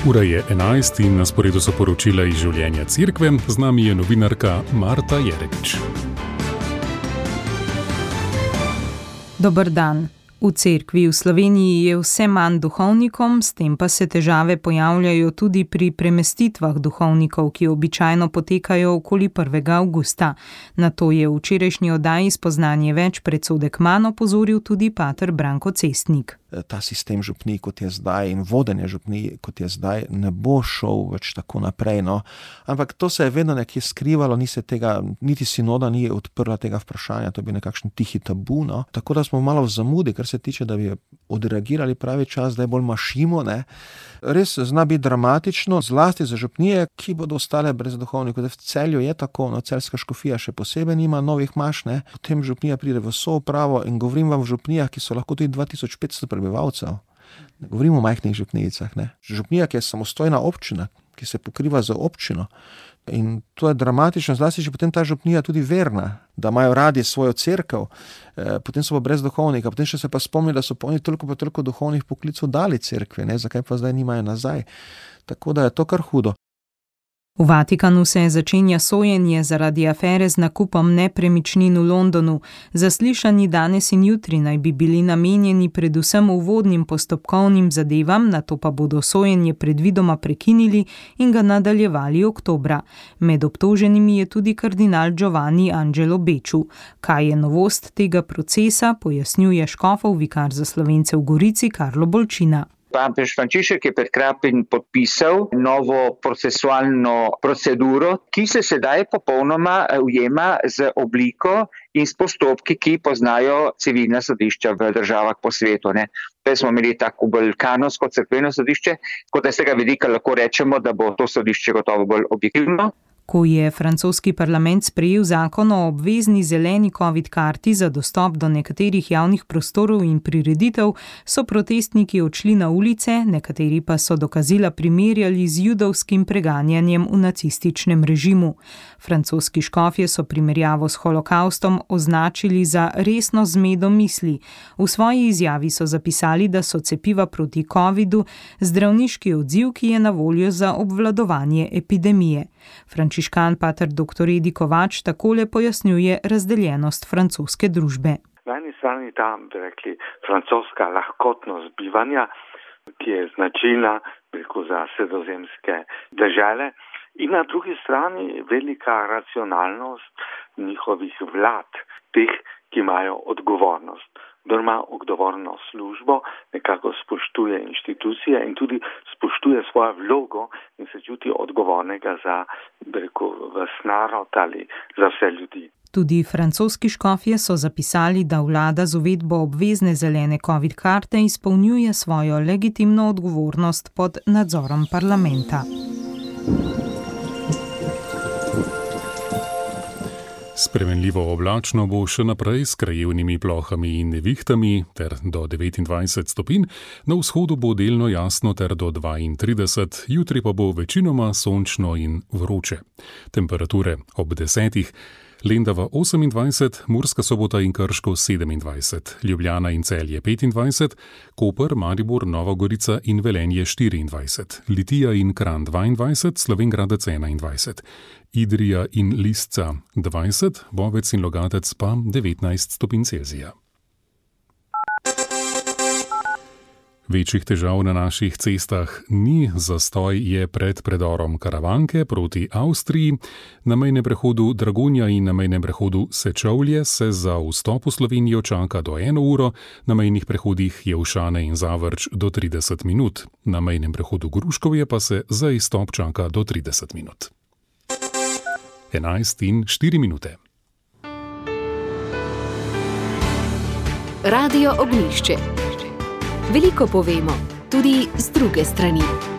Ura je 11 in na sporedu so poročila iz življenja cerkve. Z nami je novinarka Marta Jerevič. Dober dan. V cerkvi v Sloveniji je vse manj duhovnikom, s tem pa se težave pojavljajo tudi pri premestitvah duhovnikov, ki običajno potekajo okoli 1. avgusta. Na to je v včerajšnji oddaji Spoznanje več predsodek manj opozoril tudi pater Branko Cestnik. Ta sistem župnij, kot je zdaj, in vodenje župnij, kot je zdaj, ne bo šel več tako naprej. No. Ampak to se je vedno nekje skrivalo, niti sinoda ni odprla tega vprašanja, to je bil nekakšen tihi tabu. No. Tako da smo malo v zamudi, kar se tiče, da bi odreagirali pravi čas, da je bolj mašimo. Ne. Res zna biti dramatično, zlasti za župnije, ki bodo ostale brez duhovnikov. V Celju je tako, no, celjska škofija še posebej nima novih maš, ne. Potem župnija pride v soupravo in govorim vam v župnijah, ki so lahko tudi 2500 prebivalcev. Ne govorimo o majhnih župnijicah. Ne. Župnija, ki je samostojna občina, ki se pokriva z občino. In to je dramatično, zlasti, če potem ta župnija tudi verna, da imajo radi svojo cerkev, potem so pa brez duhovnika, potem še se pa spomni, da so pa oni toliko duhovnih poklicov dali cerkvi, ne, zakaj pa zdaj nimajo nazaj. Tako da je to kar hudo. V Vatikanu se začenja sojenje zaradi afere z nakupom nepremičnin v Londonu. Zaslišanji danes in jutri naj bi bili namenjeni predvsem uvodnim postopkovnim zadevam, nato pa bodo sojenje predvidoma prekinili in ga nadaljevali oktobra. Med obtoženimi je tudi kardinal Giovanni Angelo Becciu. Kaj je novost tega procesa, pojasnjuje škofov vikar za Slovence v Gorici Karlo Bolčina. Papež Frančišek je pred kratkim podpisal novo procesualno proceduro, ki se sedaj popolnoma ujema z obliko in s postopki, ki poznajo civilna sodišča v državah po svetu. Prej smo imeli tako bolj kanonsko cerkveno sodišče, kot da z tega vidika lahko rečemo, da bo to sodišče gotovo bolj objektivno. Ko je francoski parlament sprejel zakon o obvezni zeleni COVID karti za dostop do nekaterih javnih prostorov in prireditev, so protestniki odšli na ulice, nekateri pa so dokazila primerjali z judovskim preganjanjem v nacističnem režimu. Francoski škofje so primerjavo s holokaustom označili za resno zmedo misli. V svoji izjavi so zapisali, da so cepiva proti covidu zdravniški odziv, ki je na voljo za obvladovanje epidemije. Frančiškan pater dr. Edi Kovač takole pojasnjuje razdeljenost francoske družbe. Na eni strani ta, bi rekli, francoska lahkotnost bivanja, ki je značilna za sredozemske dežele, in na drugi strani velika racionalnost njihovih vlad, teh, ki imajo odgovornost. Kdor ima odgovorno službo, nekako spoštuje inštitucije in tudi spoštuje svojo vlogo in se čuti odgovornega za, ves narod ali za vse ljudi. Tudi francoski škofje so zapisali, da vlada z uvedbo obvezne zelene COVID karte izpolnjuje svojo legitimno odgovornost pod nadzorom parlamenta. Spremenljivo oblačno bo še naprej s krajevnimi plohami in nevihtami ter do 29 stopinj, na vzhodu bo delno jasno ter do 32, jutri pa bo večinoma sončno in vroče. Temperature ob 10. Lendava 28, Murska Sobota in Krško 27, Ljubljana in Celje 25, Koper, Maribor, Nova Gorica in Velenje 24, Litija in Kranj 22, Slovenj Gradec 21, Idrija in Lisca 20, Bovec in Logatec pa 19 stopinj Celzija. Večjih težav na naših cestah ni, zastoj je pred predorom Karavanke proti Avstriji. Na mejnem prehodu Dragonja in na mejnem prehodu Sečovlje se za vstop v Slovenijo čaka do 1 uro, na mejnih prehodih Jelšane in Zavrč do 30 minut. Na mejnem prehodu Gruškovje pa se za izstop čaka do 30 minut. 11:04. Radio Ognjišče. Veliko povemo, tudi z druge strani.